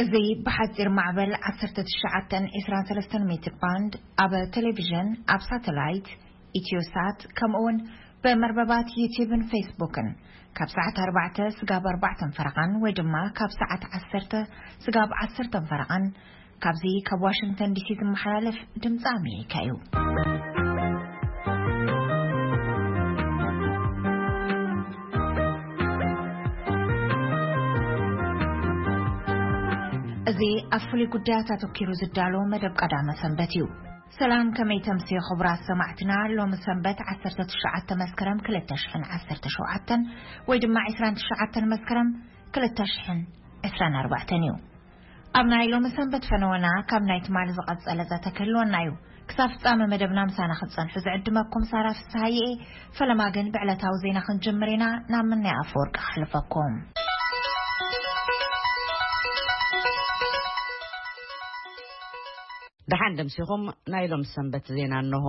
እዚ ብሓጺር ማዕበል ዓሰርተ ትሽዓተ ዕስራን ሰለስተን ሜትር ባንድ፣ ኣብ ቴሌቪዥን፣ ኣብ ሳተላይት፣ ኢትዮሳት፣ ከምኡውን ብመርበባት ዩቲዩብን ፌስቡክን ካብ ሰዓት ኣርባዕተ ስጋብ ኣርባዕተን ፈረቓን ወይ ድማ ካብ ሰዓት ዓሰርተ ስጋብ ዓሰርተን ፈረቓን ካብዚ ካብ ዋሽንግተን ዲሲ ዝመሓላለፍ ድምፂ ኣሜሪካ እዩ። እዚ ኣብ ፍሉይ ጉዳያት ኣተኪሩ ዝዳሎ መደብ ቀዳመ ሰንበት እዩ። ሰላም፣ ከመይ ተምሲ ክቡራት ሰማዕትና? ሎሚ ሰንበት ዓሰርተ ትሽዓተ መስከረም ክልተ ሽሕን ዓሰርተ ሸውዓተን ወይ ድማ ዕስራን ትሽዓተን መስከረም ክልተ ሽሕን ዕስራን ኣርባዕተን እዩ። ኣብ ናይ ሎሚ ሰንበት ፈነወና ካብ ናይ ትማሊ ዝቐጸለ ዘተ ክህልወና እዩ። ክሳብ ፍጻመ መደብና ምሳና ክትጸንሑ ዝዕድመኩም ሳራ ፍስሃየ እየ። ፈለማ ግን ብዕለታዊ ዜና ክንጅምር ኢና። ናብ ምናይ ኣፈወርቂ ክሕልፈኩም። ደሓን ደምሲኹም። ናይ ሎም ሰንበት ዜና እንሆ።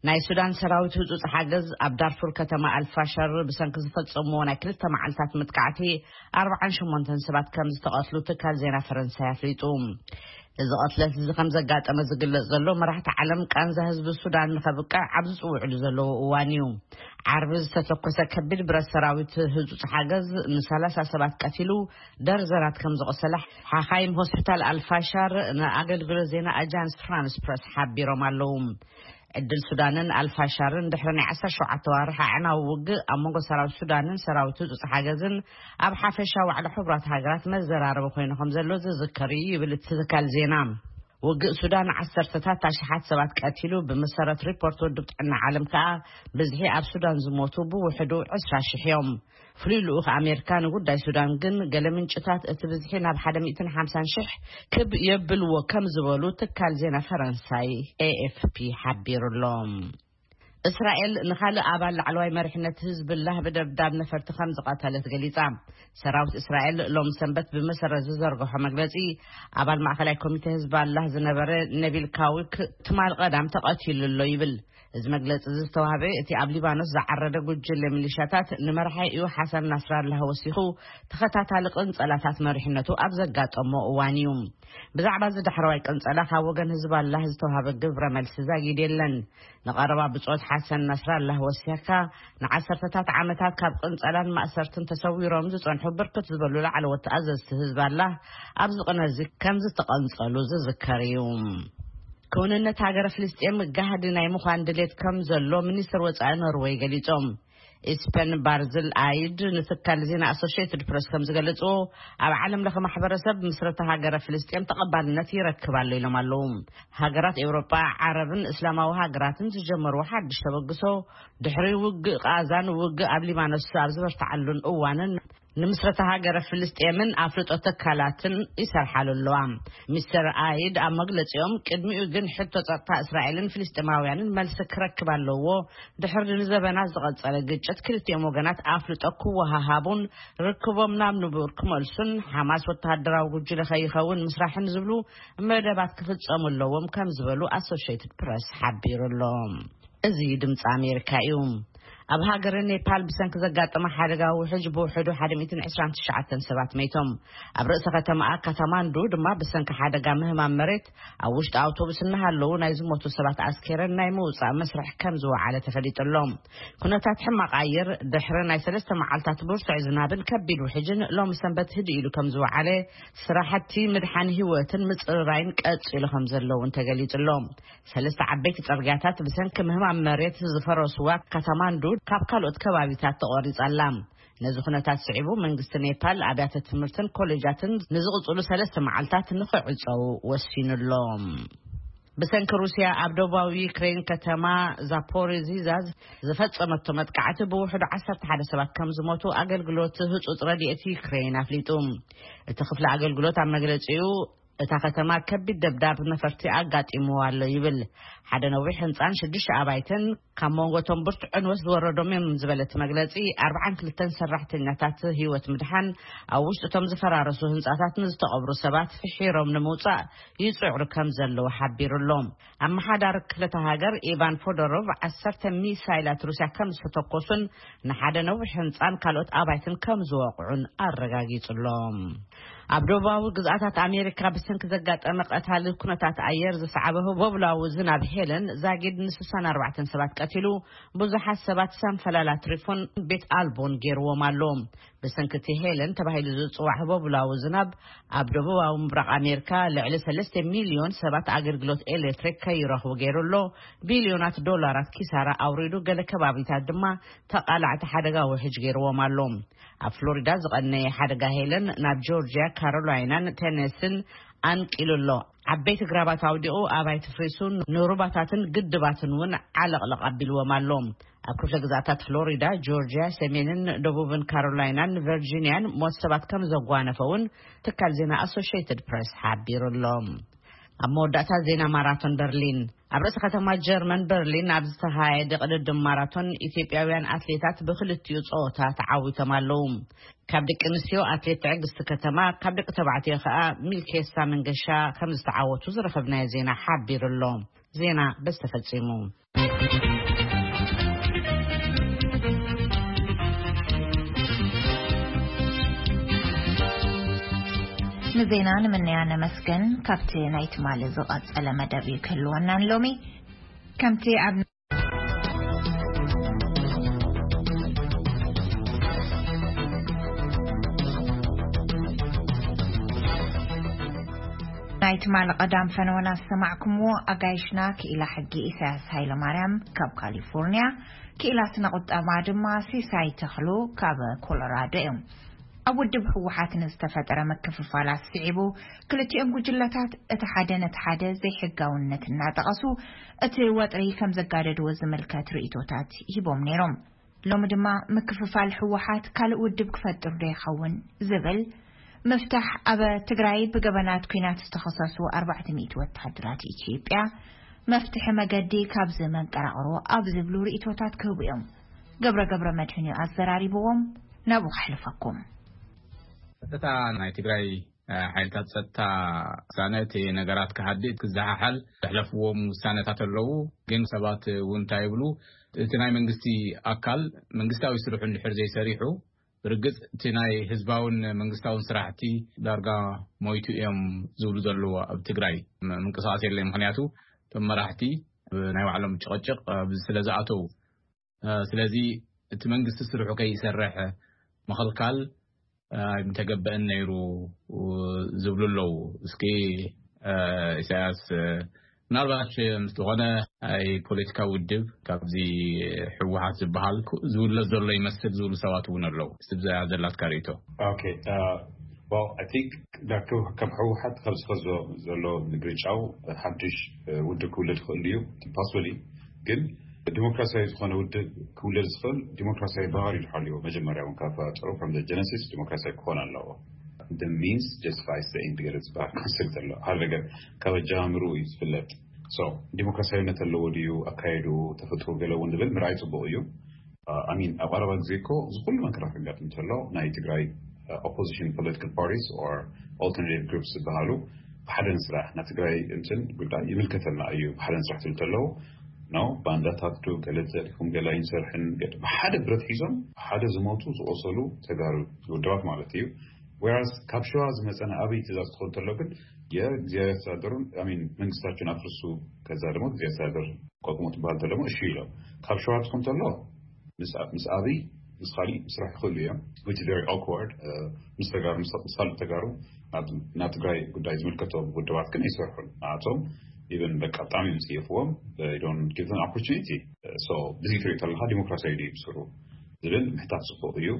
ናይ ሱዳን ሰራዊት ህጹጽ ሓገዝ ኣብ ዳርፉር ከተማ ኣልፋሸር ብሰንኪ ዝፈጸምዎ ናይ ክልተ መዓልታት መጥቃዕቲ ኣርባዓን ሸሞንተን ሰባት ከም ዝተቐትሉ ትካል ዜና ፈረንሳይ ኣፍሊጡ። እዚ ቐትለት እዚ ከም ዘጋጠመ ዝግለጽ ዘሎ፣ መራሕቲ ዓለም ቃንዛ ህዝቢ ሱዳን ንኸብቅዕ ኣብ ዝጽውዕሉ ዘለዉ እዋን እዩ። ዓርቢ ዝተተኮሰ ከቢድ ብረት ሰራዊት ህጹጽ ሓገዝ ንሰላሳ ሰባት ቀቲሉ፣ ደርዘናት ከም ዘቆሰለ ሓኻይም ሆስፒታል ኣልፋሻር ንኣገልግሎት ዜና ኣጃንስ ፍራንስ ፕረስ ሓቢሮም ኣለዉ። ዕድል ሱዳንን ኣልፋሻርን ድሕሪ ናይ ዓሰርተ ሸውዓተ ዋርሕ ኣዕናዊ ውግእ ኣብ መንጎ ሰራዊት ሱዳንን ሰራዊት ህጹጽ ሓገዝን ኣብ ሓፈሻ ዋዕላ ሕቡራት ሃገራት መዘራረቢ ኮይኑ ከም ዘሎ ዝዝከር እዩ ይብል እቲ ትካል ዜና። ውግእ ሱዳን ዓሰርተታት ኣሽሓት ሰባት ቀቲሉ፣ ብመሰረት ሪፖርት ውድብ ጥዕና ዓለም ከኣ ብዝሒ ኣብ ሱዳን ዝሞቱ ብውሕዱ ዕስራ ሽሕ እዮም። ፍሉይ ልኡኽ ኣሜሪካ ንጉዳይ ሱዳን ግን፣ ገለ ምንጭታት እቲ ብዝሒ ናብ ሓደ ሚእትን ሓምሳን ሽሕ ክብ የብልዎ ከም ዝበሉ ትካል ዜና ፈረንሳይ ኤ ኤፍ ፒ ሓቢሩ ኣሎ። እስራኤል ንኻልእ ኣባል ላዕለዋይ መሪሕነት ህዝብላህ ብደብዳብ ነፈርቲ ከም ዝቐተለት ገሊጻ። ሰራዊት እስራኤል ሎም ሰንበት ብመሰረት ዝዘርግሖ መግለጺ፣ ኣባል ማእከላይ ኮሚቴ ህዝባላህ ዝነበረ ነቢል ካዊክ ትማል ቀዳም ተቐቲሉ ኣሎ ይብል። እዚ መግለጺ እዚ ዝተዋህበ፣ እቲ ኣብ ሊባኖስ ዝዓረደ ጉጅለ ሚሊሻታት ንመርሓይኡ ሓሰን ናስራላህ ወሲኹ፣ ተኸታታሊ ቅንጸላታት መሪሕነቱ ኣብ ዘጋጠሞ እዋን እዩ። ብዛዕባ እዚ ዳሕረዋይ ቅንጸላ ካብ ወገን ህዝባላህ ዝተዋህበ ግብረ መልሲ ዛጊድ የለን። ንቐረባ ብጾት ሓሰን ናስራላህ ወሲኽካ፣ ንዓሰርተታት ዓመታት ካብ ቅንጸላን ማእሰርትን ተሰዊሮም ዝጸንሑ ብርክት ዝበሉ ላዕለዎት ኣዘዝቲ ህዝባላህ ኣብዚ ቅነ እዚ ከም ዝተቐንጸሉ ዝዝከር እዩ። ክውንነት ሃገረ ፍልስጤም ጋህዲ ናይ ምዃን ድሌት ከም ዘሎ ሚኒስትር ወጻኢ ኖርወይ ገሊጾም። ኢስፐን ባርዝል ኣይድ ንትካል ዜና ኣሶሽየትድ ፕረስ ከም ዝገለጽዎ፣ ኣብ ዓለም ለኸ ማሕበረሰብ ምስረታ ሃገረ ፍልስጤም ተቐባልነት ይረክብ ኣሎ ኢሎም ኣለዉ። ሃገራት ኤውሮጳ፣ ዓረብን እስላማዊ ሃገራትን ዝጀመርዎ ሓድሽ ተበግሶ፣ ድሕሪ ውግእ ቃዛን ውግእ ኣብ ሊባኖስ ኣብ ዝበርትዓሉን እዋንን፣ ንምስረታ ሃገረ ፍልስጤምን ኣፍልጦ ትካላትን ይሰርሓሉ ኣለዋ። ሚስተር ኣይድ ኣብ መግለጺኦም፣ ቅድሚኡ ግን ሕቶ ጸጥታ እስራኤልን ፍልስጤማውያንን መልሲ ክረክብ ኣለዎ። ድሕሪ ንዘበናት ዝቐጸለ ግጭት፣ ክልቲኦም ወገናት ኣፍልጦ ክወሃሃቡን ርክቦም ናብ ንቡር ክመልሱን፣ ሓማስ ወተሃደራዊ ጉጅለ ከይኸውን ምስራሕን ዝብሉ መደባት ክፍጸሙ ኣለዎም ከም ዝበሉ ኣሶሽየትድ ፕረስ ሓቢሩ ኣሎ። እዚ ድምፂ ኣሜሪካ እዩ። ኣብ ሃገረ ኔፓል ብሰንኪ ዘጋጠመ ሓደጋ ውሕጅ ብውሕዱ ሓደ ሚእትን ዕስራን ትሽዓተን ሰባት መይቶም። ኣብ ርእሰ ከተማኣ ካታማንዱ ድማ ብሰንኪ ሓደጋ ምህማም መሬት ኣብ ውሽጢ ኣውቶቡስ እናሃለዉ ናይ ዝሞቱ ሰባት ኣስኬረን ናይ ምውፃእ መስርሕ ከም ዝወዓለ ተፈሊጡ ኣሎ። ኩነታት ሕማቕ ኣየር ድሕሪ ናይ ሰለስተ መዓልታት ብርቱዕ ዝናብን ከቢድ ውሕጅን ሎሚ ሰንበት ህድእ ኢሉ ከም ዝወዓለ፣ ስራሕቲ ምድሓን ህይወትን ምፅርራይን ቀፂሉ ከም ዘለውን ተገሊጹ ኣሎ። ሰለስተ ዓበይቲ ጽርግያታት ብሰንኪ ምህማም መሬት ዝፈረስዋ ካታማንዱ ካብ ካልኦት ከባቢታት ተቖሪጻ ኣላ። ነዚ ኩነታት ስዒቡ መንግስቲ ኔፓል ኣብያተ ትምህርትን ኮሌጃትን ንዝቕጽሉ ሰለስተ መዓልታት ንኽዕጸው ወሲኑ ኣሎ። ብሰንኪ ሩስያ ኣብ ደቡባዊ ዩክሬን ከተማ ዛፖሪዚዛ ዝፈጸመቶ መጥቃዕቲ ብውሕዱ ዓሰርተ ሓደ ሰባት ከም ዝሞቱ ኣገልግሎት ህጹጽ ረድኤት ዩክሬን ኣፍሊጡ። እቲ ክፍሊ ኣገልግሎት ኣብ መግለጺኡ፣ እታ ከተማ ከቢድ ደብዳብ ነፈርቲ ኣጋጢምዋ ኣሎ ይብል። ሓደ ነዊሕ ህንጻን ሽዱሽተ ኣባይትን ካብ መንጎ እቶም ብርቱዕ ዕንወት ዝወረዶም እዮም ዝበለ እቲ መግለጺ፣ ኣርብዓን ክልተን ሰራሕተኛታት ህይወት ምድሓን፣ ኣብ ውሽጢ እቶም ዝፈራረሱ ህንጻታት ንዝተቐብሩ ሰባት ፍሒሮም ንምውጻእ ይጽዕሩ ከም ዘለዉ ሓቢሩ ኣሎ። ኣመሓዳሪ ክልተ ሃገር ኢቫን ፎዶሮቭ፣ ዓሰርተ ሚሳይላት ሩስያ ከም ዝተተኮሱን ንሓደ ነዊሕ ህንጻን ካልኦት ኣባይትን ከም ዝወቕዑን ኣረጋጊጹ ኣሎ። ኣብ ደቡባዊ ግዝኣታት ኣሜሪካ ብሰንኪ ዘጋጠመ ቀታሊ ኩነታት ኣየር ዝሰዓበ ህቦብላዊ ዝናብ ሄለን ዛጊድ ን64 ሰባት ቀቲሉ፣ ብዙሓት ሰባት ሰንፈላል ኣትሪፉን ቤት ኣልቦን ገይርዎም ኣሎ። ብሰንኪ እቲ ሄለን ተባሂሉ ዝጽዋዕ ህቦብላዊ ዝናብ፣ ኣብ ደቡባዊ ምብራቕ ኣሜሪካ ልዕሊ 3 ሚልዮን ሰባት ኣገልግሎት ኤሌክትሪክ ከይረኽቡ ገይሩ ኣሎ። ቢልዮናት ዶላራት ኪሳራ ኣውሪዱ፣ ገለ ከባቢታት ድማ ተቓላዕቲ ሓደጋ ውሕጅ ገይርዎም ኣሎ። ኣብ ፍሎሪዳ ዝቐነየ ሓደጋ ሄለን ናብ ጆርጅያ፣ ካሮላይናን ቴነስን ኣንቂሉ ኣሎ። ዓበይቲ ግራባት ኣውዲቑ፣ ኣባይቲ ፍሪሱ፣ ንሩባታትን ግድባትን እውን ዓለቕለቕ ኣቢልዎም ኣሎ። ኣብ ክፍለ ግዛኣታት ፍሎሪዳ፣ ጆርጅያ፣ ሰሜንን ደቡብን ካሮላይናን ቨርጂኒያን ሞት ሰባት ከም ዘጓነፈ እውን ትካል ዜና ኣሶሽየትድ ፕሬስ ሓቢሩ ኣሎ። ኣብ መወዳእታ ዜና ማራቶን በርሊን። ኣብ ርእሲ ከተማ ጀርመን በርሊን ኣብ ዝተኻየደ ቅድድም ማራቶን፣ ኢትዮጵያውያን ኣትሌታት ብክልቲኡ ጸወታ ተዓዊቶም ኣለዉ። ካብ ደቂ ኣንስትዮ ኣትሌት ትዕግስቲ ከተማ፣ ካብ ደቂ ተባዕትዮ ከኣ ሚልኬሳ መንገሻ ከም ዝተዓወቱ ዝረኸብናዮ ዜና ሓቢሩ ኣሎ። ዜና በዚ ተፈጺሙ። ንዜና ንምንያ ነመስገን። ካብቲ ናይ ትማሊ ዝቐጸለ መደብ እዩ ክህልወናን ሎሚ። ከምቲ ኣብ ናይ ትማሊ ቀዳም ፈነወና ዝሰማዕኩምዎ፣ ኣጋይሽና ክኢላ ሕጊ ኢሳያስ ሃይለማርያም ካብ ካሊፎርኒያ፣ ክኢላ ስነ ቁጠባ ድማ ሲሳይ ተኽሉ ካብ ኮሎራዶ እዮም። ኣብ ውድብ ህወሓት ንዝተፈጠረ ምክፍፋላት ስዒቡ፣ ክልቲኦም ጉጅለታት እቲ ሓደ ነቲ ሓደ ዘይሕጋውነት እናጠቐሱ እቲ ወጥሪ ከም ዘጋደድዎ ዝምልከት ርእይቶታት ሂቦም ነይሮም። ሎሚ ድማ ምክፍፋል ህወሓት ካልእ ውድብ ክፈጥር ዶ ይኸውን ዝብል፣ ምፍታሕ ኣብ ትግራይ ብገበናት ኲናት ዝተኸሰሱ ኣርባዕተ ሚእቲ ወታደራት ኢትዮጵያ፣ መፍትሒ መገዲ ካብዚ መንቀራቕሮ ኣብ ዝብሉ ርእይቶታት ክህቡ እዮም። ገብረ ገብረ መድህን እዩ ኣዘራሪብዎም። ናብኡ ከሕልፈኩም። ቀጥታ ናይ ትግራይ፣ እ፣ ሓይልታት ጸጥታ ውሳነ እቲ ነገራት ክሃድእ ክዘሓሓል ዘሕለፍዎም ውሳነታት ኣለዉ። ግን ሰባት እውን እንታይ ይብሉ? እቲ ናይ መንግስቲ ኣካል መንግስታዊ ስርሑ እንድሕር ዘይሰሪሑ፣ ብርግጽ እቲ ናይ ህዝባውን መንግስታውን ስራሕቲ ዳርጋ ሞይቱ እዮም ዝብሉ ዘለዉ። ኣብ ትግራይ ም-፣ ምንቅስቃስ የለይ። ምኽንያቱ እቶም መራሕቲ ኣብ ናይ ባዕሎም ጭቕጭቕ፣ እ፣ ስለ ዝኣተዉ። እ፣ ስለዚ እቲ መንግስቲ ስርሑ ከይሰርሕ ምኽልካል፣ እ፣ ኣይምተገበእን ነይሩ ዝብሉ ኣለዉ። እስኪ፣ እ፣ ኢሳያስ፣ እ፣ ምናልባት፣ እ፣ ምስ ዝኾነ ናይ ፖለቲካ ውድብ ካብዚ ህወሓት ዝበሃል ኩ-፣ ዝውለድ ዘሎ ይመስል ዝብሉ ሰባት እውን ኣለዉ። እስቲ ብዛ ዘላትካ ርእይቶ። ኦኬ፣ እ፣ well, I think ዳርክ ከም ህወሓት ካብ ዝኸዞ ዘሎ ምግርጫው ሓድሽ፣ እ፣ ውድብ ክውለድ ይኽእል እዩ፣ ፓስወሊ። ግን ዲሞክራሲያዊ ዝኾነ ውድብ ክውለድ ዝኽእል ዲሞክራሲያዊ ባህሪ ዝሓልዮ መጀመርያ እውን ካብ ፈጠሩ፣ from the genesis፣ ዲሞክራሲያዊ ክኾን ኣለዎ። The means justifies the end ገለ ዝበሃል ኮንሰፕት ኣሎ። ሓደ ነገር ካብ ኣጀማምሩ እዩ ዝፍለጥ። So ዲሞክራሲያዊነት ኣለዎ ድዩ ኣካየዱ፣ ተፈጥሮ ገለ እውን ዝብል ምርኣይ ጽቡቕ እዩ። እ፣ I mean፣ ኣብ ቀረባ ግዜ እኮ እዚ ኩሉ መከራ ከጋጥም እንተሎ ናይ ትግራይ፣ እ፣ ኦፖዚሽን ፖለቲካል ፓርቲስ or alternative groups ዝበሃሉ ብሓደ ንስራሕ፣ ናይ ትግራይ እንትን ጉዳይ ይምልከተና እዩ ብሓደ ንስራሕ ትብል እንተለዉ፣ ኖ፣ ባንዳታት ዶ ገለ ተሪፎም ገለ ኣይንሰርሕን፣ ገለ ብሓደ ብረት ሒዞም ብሓደ ዝሞቱ ዝቆሰሉ ተጋሩ ውድባት ማለት እዩ። Whereas ካብ ሸዋ ዝመጸ ናይ ኣበይ ትእዛዝ ክኾን እንተሎ ግን የእግዚኣብሔር ኣስተዳደሩን፣ I mean፣ መንግስታችሁን ኣፍርሱ፣ ከዛ ደግሞ እግዚኣብሔር ኣስተዳደር ቋቁሞ ትበሃል እንተሎ እሺ ኢሎም። ካብ ሸዋ ትኾን እንተሎ ምስ፣ ምስ ኣበይ ምስ ካሊእ ምስራሕ ይኽእሉ እዮም፣ which is very awkward። እ፣ ምስ ተጋሩ፣ ምስ፣ ምስ ካልኦት ተጋሩ ናብ፣ ናብ ትግራይ ጉዳይ ዝምልከቶም ውድባት ግን ኣይሰርሑን። ንኣቶም ኢቨን በቃ ብጣዕሚ እዮም ዝፅየፍዎም። They don't give them opportunity። So ብዚ ትሪኦ ተለካ ዲሞክራሲያዊ ድዩ ብስሩ ዝብል ምሕታት ፅቡቅ እዩ።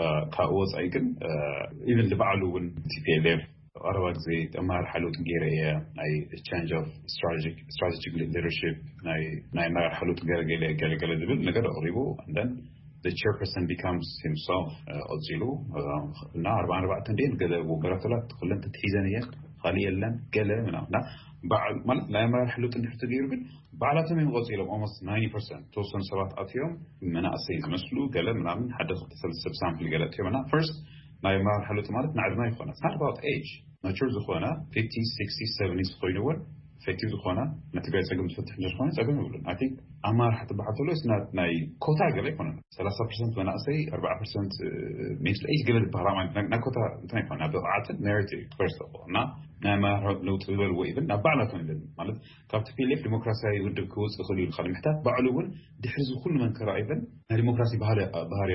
እ፣ ካብኡ ወፃኢ ግን፣ እ፣ ኢቨን ንባዕሉ እውን ቲ ፒ ኤል ኤፍ ቀረባ ግዜ ኣመራርሓ ለውጢ ገይረ እየ፣ ናይ change of strategic፣ strategic leadership፣ ናይ፣ ናይ ኣመራርሓ ለውጢ ገይረ ገለ፣ ገለ፣ ገለ ዝብል ነገር ኣቕሪቡ። And then the chairperson becomes himself፣ እ፣ ቀፂሉ፣ እ፣ እና ኣርባዓን ኣርባዕተን ደን ገለ ወንበራት ተላ ክለን ተትሒዘን እየን፣ ካሊእ የለን፣ ገለ ምናምን። እና በዓል፣ ማለት ናይ ኣመራርሓ ለውጢ እንድሕር ተገይሩ ግን ባዕላቶም እዮም ቀፂሎም። Almost ninety percent ተወሰኑ ሰባት ኣትዮም፣ መናእሰይ ዝመስሉ ገለ ምናምን፣ ሓደ ክልተ ሰለስተ ሰብ ሳምፕል ገለ ኣትዮም። እና ፈርስት ናይ ኣመራርሓ ለውጢ ማለት ንዕድመ ይኮነ፣ it's not about age። ማቹር ዝኾነ ፊፍቲ፣ ሲክስቲ፣ ሰቨንቲ ኮይኑ እውን ኢፌክቲቭ ዝኾና ናይ ትግራይ ፀገም ትፈትሕ እንተዝኾነ ፀገም የብሉን። ኣይ ቲንክ ኣማራሒ ትበሃል ተሎ ስናት ናይ ኮታ ገለ ኣይኮነን። ሰላሳ ፐርሰንት መናእሰይ፣ ኣርባዓ ፐርሰንት ሚድል ኤጅ ገለ ዝበሃላ ማለት ናይ ኮታ እንትን ኣይኮነ፣ ብቕዓትን ሜሪት ፈርስት ኦፍ እና ናይ ኣመራርሓ ለውጢ ዝበልዎ ኢቨን ናብ ባዕላቶም ይበል ማለት ካብ ቲ ፒ ኤል ኤፍ ዲሞክራሲያዊ ውድብ ክወፅእ ይኽእል እዩ ኢልካ ንምሕታት ባዕሉ እውን ድሕሪ እዚ ኩሉ መንከራ ኢቨን ናይ ዲሞክራሲ ባህሪ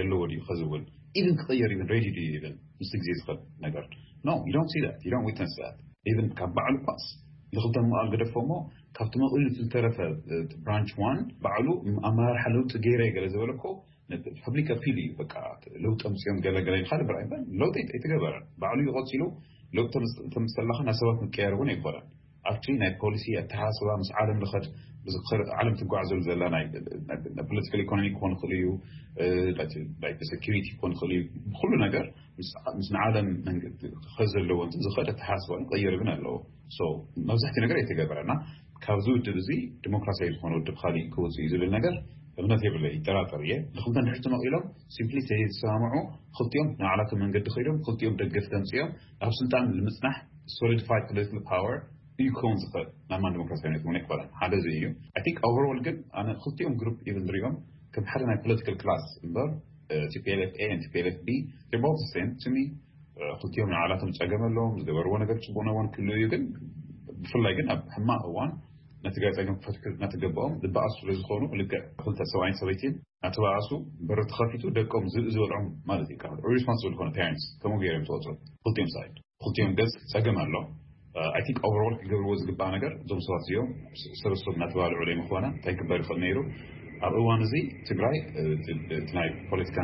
ኣለዎ ድዩ ከዚ እውን ኢቨን ክቕየር ኢቨን ሬዲ ድዩ ኢቨን ምስ ግዜ ዝኸድ ነገር no you don't see that you don't witness that even ካብ ባዕሉ ኳስ ንክልተ ምቕኣል ገደፎ እሞ ካብቲ መቕሉ ዝተረፈ ብራንች ዋን ባዕሉ ኣመራርሓ ለውጢ ገይረ ገለ ዝበለ እኮ ፐብሊክ ኣፒል እዩ። በቃ ለውጢ ኣምፅኦም ገለ ገለ ኢልካ ድብራ ይበል ለውጢ ኣይተገበረን። ባዕሉ እዩ ቀፂሉ። ለውጢ ተምስተላካ ናይ ሰባት ምቀያር እውን ኣይኮነን። ኣብቲ ናይ ፖሊሲ ኣተሓሳስባ ምስ ዓለም ልኸድ ዓለም ትጓዓዘሉ ዘላ ናይ ፖለቲካል ኢኮኖሚ ክኾን ይኽእል እዩ፣ ሴኪሪቲ ክኾን ይኽእል እዩ። ብኩሉ ነገር ምስ ንዓለም ክኸድ ዘለዎ እንትን ዝኸድ ኣተሓሳስባ ቀየር እውን ኣለዎ። መብዛሕትኡ ነገር ኣይተገበረና። ካብዚ ውድብ እዚ ዲሞክራሲያዊ ዝኾነ ውድብ ካሊእ ክወፅእ እዩ ዝብል ነገር እምነት የብለ ይጠራጠር እየ። ንክልተ ንድሕር ተመቒሎም ሲምፕሊ ተሰማምዑ ክልቲኦም ንዓላቶም መንገዲ ከይዶም ክልቲኦም ደገፍ ተምፅኦም ኣብ ስልጣን ንምፅናሕ ሶሊዲፋይድ ፖለቲካል ፓወር እዩ ክኸውን ዝኽእል። ናይ ማን ዲሞክራሲያዊነት እውን ኣይኮነን ሓደ እዚ እዩ። ኣይ ቲንክ ኦቨርኦል ግን ኣነ ክልቲኦም ግሩፕ ኢቨን ንሪኦም ከም ሓደ ናይ ፖለቲካል ክላስ እምበር ቲ ፒ ኤል ኤፍ ኤ ቲ ፒ ኤል ኤፍ ቢ ቦት ሴም ቱ ሚ ክልቲኦም ንዓላቶም ፀገም ኣለዎም። ዝገበርዎ ነገር ፅቡቅ ነዎን ክህሉ እዩ ግን ብፍላይ ግን ኣብ ሕማቅ እዋን ነቲ ገለ ፀገም ክፈትሑ እናተገበኦም ዝበኣሱ ስለ ዝኾኑ ልክዕ ክልተ ሰብኣይን ሰበይቲን እናተበኣሱ በሪ ተኸፊቱ ደቆም ዝብኢ ዝበልዖም ማለት እዩ። ሪስፖንስብል ዝኾነ ፓረንትስ ከምኡ ገይሮም ተወፅኦም ክልቲኦም ሳይድ ክልቲኦም ገፅ ፀገም ኣሎ። ኣይ ቲንክ ኦቨርኦል ክገብርዎ ዝግባእ ነገር እዞም ሰባት እዚኦም ሰበሰብ እናተባልዑ ለይ ምኾነ እንታይ ክበር ይኽእል ነይሩ። ኣብ እዋን እዚ ትግራይ እቲ ናይ ፖለቲካ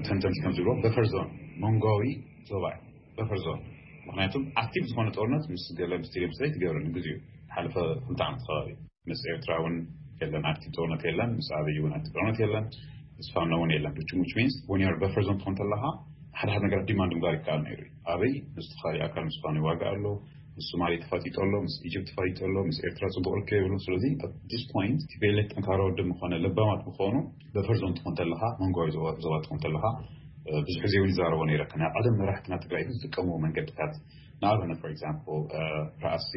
ተንተንቲ ከም ዝብሎ በፈር ዞን መንጓዊ ዞባ እዩ። በፈር ዞን ምክንያቱም ኣክቲቭ ዝኾነ ጦርነት ምስ ገለ ምስ ቲደም ስለ ትገብረ ንግዜኡ ሓለፈ ክልተ ዓመት ከባቢ ምስ ኤርትራ እውን የለን ኣክቲቭ ጦርነት የለን፣ ምስ ኣበይ እውን ኣክቲቭ ጦርነት የለን፣ ምስ ፋኖ እውን የለን። which means when you're buffer zone ትኾን ተለኻ ሓደ ሓደ ነገራት ዲማንድ ምግባር ይከኣል ነይሩ እዩ። ኣበይ ምስ ተኻሊ ኣካል ምስ ፋኖ ይዋጋእ ኣሎ፣ ምስ ሶማሌ ተፋጢጡ ኣሎ፣ ምስ ኢጅፕት ተፋጢጡ ኣሎ፣ ምስ ኤርትራ ፅቡቅ ርከብ የብሉ። ስለዚ at this point ቲ ፒ ኤል ኤፍ ጠንካራ ውድብ ምኾነ ለባማት ምኾኑ በፈር ዞን ትኾን ተለኻ መንጓዊ ዞባ ትኾን ተለኻ ብዙሕ ግዜ እውን ይዛረቦ ነይረ። ናይ ቀደም መራሕትና ትግራይ ዝጥቀምዎ መንገድታት ንኣብነት for example ራእሲ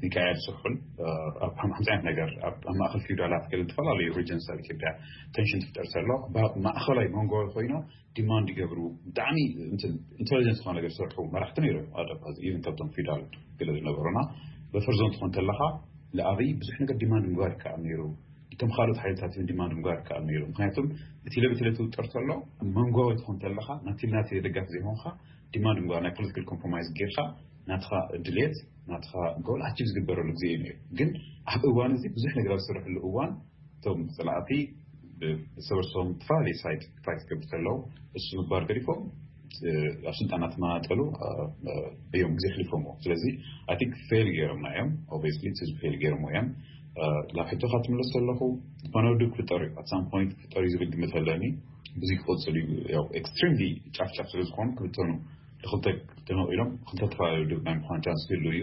ሚካኤል ስሑል ኣብ ሓምሳ ዓይነት ነገር ኣብ ማእኸል ፊውዳላት ገለ ዝተፈላለዩ ሪጅንስ ኣብ ኢትዮጵያ ቴንሽን ትፍጠር ተሎ ማእኸላይ መንጎ ኮይኖ ዲማንድ ይገብሩ። ብጣዕሚ ኢንቴሊጀንስ ዝኾነ ነገር ዝሰርሑ መራሕቲ ነይሮም። ኢቨን ካብቶም ፊውዳል ገለ ዝነበሩና በፈር ዞን ትኾን ተለኻ ንኣብይ ብዙሕ ነገር ዲማንድ ምግባር ይከኣል ነይሩ። እቶም ካልኦት ሓይልታት እውን ዲማንድ ምግባር ይከኣል ነይሩ። ምክንያቱም እቲ ለብቲ ለትውጠር ተሎ መንጓዊ ትኾን ተለኻ ናቲ ናቲ ደጋፊ ዘይኮንካ ዲማንድ ምግባር ናይ ፖለቲካል ኮምፕሮማይዝ ጌርካ ናትኻ ድሌት ናትኻ ጎል ኣቺቭ ዝግበረሉ ግዜ እዩ ነይሩ። ግን ኣብ እዋን እዚ ብዙሕ ነገር ኣብ ዝስርሕሉ እዋን እቶም ፀላእቲ ሰበርሶም ዝተፈላለዩ ሳይድ ፋይት ክገብሩ ከለዉ እሱ ምግባር ገዲፎም ኣብ ስልጣን እናተመጣጠሉ እዮም ግዜ ኣሕሊፎምዎ። ስለዚ ኣይ ቲንክ ፌል ገይሮምና እዮም። ኦብቪየስሊ ፌል ገይሮምዎ እዮም። ናብ ሕቶኻ ትምለስ ዘለኹ ዝኾነ ውድብ ክፍጠር እዩ። ኣት ሳም ፖይንት ክፍጠር እዩ ዝብል ግምት ኣለኒ። ብዙ ክቕፅል እዩ። ያው ኤክስትሪምሊ ጫፍ ጫፍ ስለ ዝኾኑ ክብተኑ ንክልተ ተመቒሎም ክልተ ዝተፈላለዩ ውድብ ናይ ምዃን ቻንስ ክህሉ እዩ።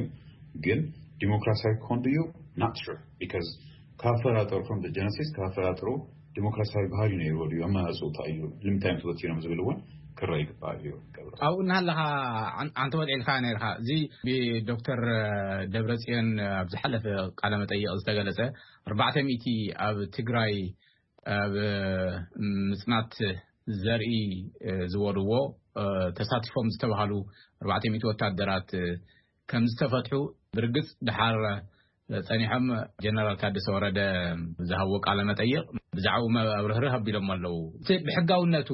ግን ዲሞክራሲያዊ ክኾን ድዩ? ናት ሹር ቢካዝ ካብ ፈጣጥሩ from the genesis ካብ ፈጣጥሩ ዲሞክራሲያዊ ባህሪ ነይርዎ ድዩ? ኣመራፅኡ እንታይ እዩ? ንምንታይ እዮም ተበቲኖም ዝብል እውን ክረአ ይግባእ እዩ። ገብረ ኣብኡ እናሃለኻ ኣንተ ወልዒልካ ነርካ እዚ ብዶክተር ደብረፅዮን ኣብ ዝሓለፈ ቃለ መጠይቕ ዝተገለፀ ኣርባዕተ ሚእቲ ኣብ ትግራይ ኣብ ምፅናት ዘርኢ ዝበልዎ ተሳቲፎም ዝተባሃሉ ኣርባዕተ ሚእቲ ወታደራት ከም ዝተፈትሑ ብርግፅ ድሓር ፀኒሖም ጀነራል ታደሰ ወረደ ዝሃብዎ ቃለ መጠይቕ ብዛዕባኡ ኣብርህርህ ኣቢሎም ኣለዉ። እቲ ብሕጋውነቱ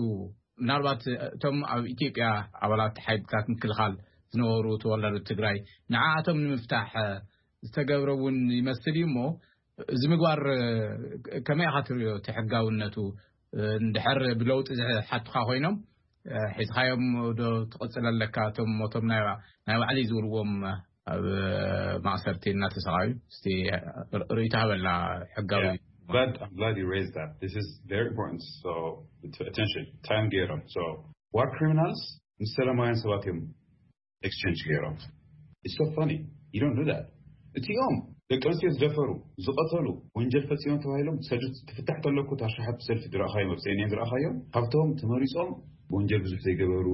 ምናልባት እቶም ኣብ ኢትዮጵያ ኣባላት ሓይልታት ምክልኻል ዝነበሩ ተወላዶ ትግራይ ንዓኣቶም ንምፍታሕ ዝተገብረ እውን ይመስል እዩ እሞ እዚ ምግባር ከመይ ኢኻ ትሪኦ እቲ ሕጋውነቱ? እንድሕር ብለውጢ ዝሓቱኻ ኮይኖም ሒዝኻዮም ዶ ትቕፅል ኣለካ? እቶም ሞቶም ናይ ባዕሊ ዝብልዎም ኣብ ማእሰርቲ እናተሰቃዩ እስቲ ርእይቶ ሃበላ ሕጋዊ Glad, I'm glad you raised that. This is very important. So, attention, time ገይሮም. So, war criminals ምስ ሰላማውያን ሰባት እዮም ኤክስቼንጅ ገይሮም። It's so funny. You don't do that. እቲኦም ደቂ ኣንስትዮ ዝደፈሩ ዝቐተሉ ወንጀል ፈፂሞም ተባሂሎም ሰዱ ትፍታሕ ተለኩ ታሽሓት ሰልፊ ዝረእኻዮም ኣብ ሴኔን ዝረእኻዮም ካብቶም ተመሪፆም ወንጀል ብዙሕ ዘይገበሩ፣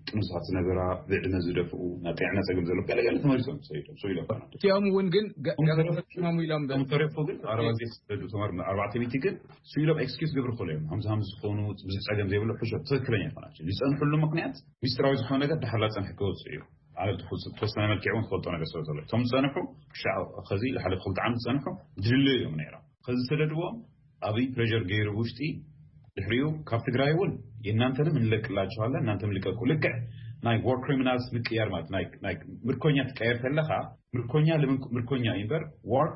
ጥኑሳት ዝነበራ፣ ብዕድመ ዝደፍኡ፣ ናይ ጥዕና ጸገም ዘለዎ ገለገለ ተመሊሶም ሰይዶም ሰው ይለፋና። እቲኦም እውን ግን ገ- ገበን ፈጺሞም ኢሎም ብ- ተረፉ ግን ኣረባ ጊዜ ዝሰደዱ ተማር ኣርባዕተ ሚእቲ ግን ስኢሎም ኤክስኪውስ ግብር ክሉ እዮም። ሃምሳ ሃምሳ ዝኾኑ ብዙሕ ጸገም ዘይብሉ ሕሾ ትክክለኛ ይኾናቸው ዝጸንሕሉ ምክንያት ሚስጥራዊ ዝኾነ ነገር ድሓር ላጸንሕ ክወጽእ እዩ። ኣነ ተወሰነ መልክዕ እውን ትፈልጦ ነገር ስለ ዘሎ እቶም ዝጸንሑ ክሻዕ ከዚ ሓደ ክልተ ዓመት ዝጸንሑ ድልዩ እዮም ነይሮም። ከዚ ዝሰደድዎም ኣብይ ፕሬር ገይሩ ውሽጢ ድሕሪኡ ካብ ትግራይ እውን የእናንተንም እንለቅላችኋለን እናንተም ልቀቁ። ልክዕ ናይ ዋር ክሪሚናልስ ምቅያር ማለት ናይ ናይ ምርኮኛ ትቀየር ተለኻ ምርኮኛ ልምን ምርኮኛ እዩ እምበር ዋር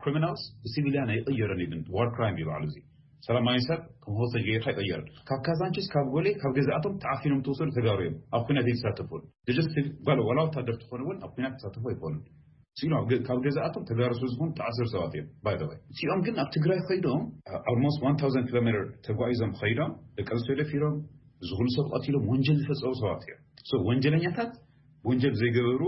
ክሪሚናልስ ብሲቪሊያን ኣይቕየርን። ኢቭን ዋር ክራይም ይበዓሉ እዚ ሰላማዊ ሰብ ከም ሆስቴጅ ገይርካ ኣይቕየርን። ካብ ካዛንቺስ ካብ ጎሌ ካብ ገዛእቶም ተዓፊኖም ተወሰዱ ተጋሩ እዮም ኣብ ኩናት ይሳተፉን ጀስት ጓል ወላ ወታደር ትኾኑ እውን ኣብ ኩናት ተሳተፉ ኣይኮኑን። ሲኖ ካብ ገዛእቶም ተጋሩ ስለ ዝኾኑ ተኣሰሩ ሰባት እዮም። ባይ ዘ ወይ እቲኦም ግን ኣብ ትግራይ ከይዶም almost one thousand ኪሎ ሜትር ተጓዒዞም ከይዶም ደቂ ኣንስትዮ ደፊሮም እዚ ኩሉ ሰብ ቀቲሎም ወንጀል ዝፈፀሙ ሰባት እዮም። So ወንጀለኛታት ወንጀል ዘይገበሩ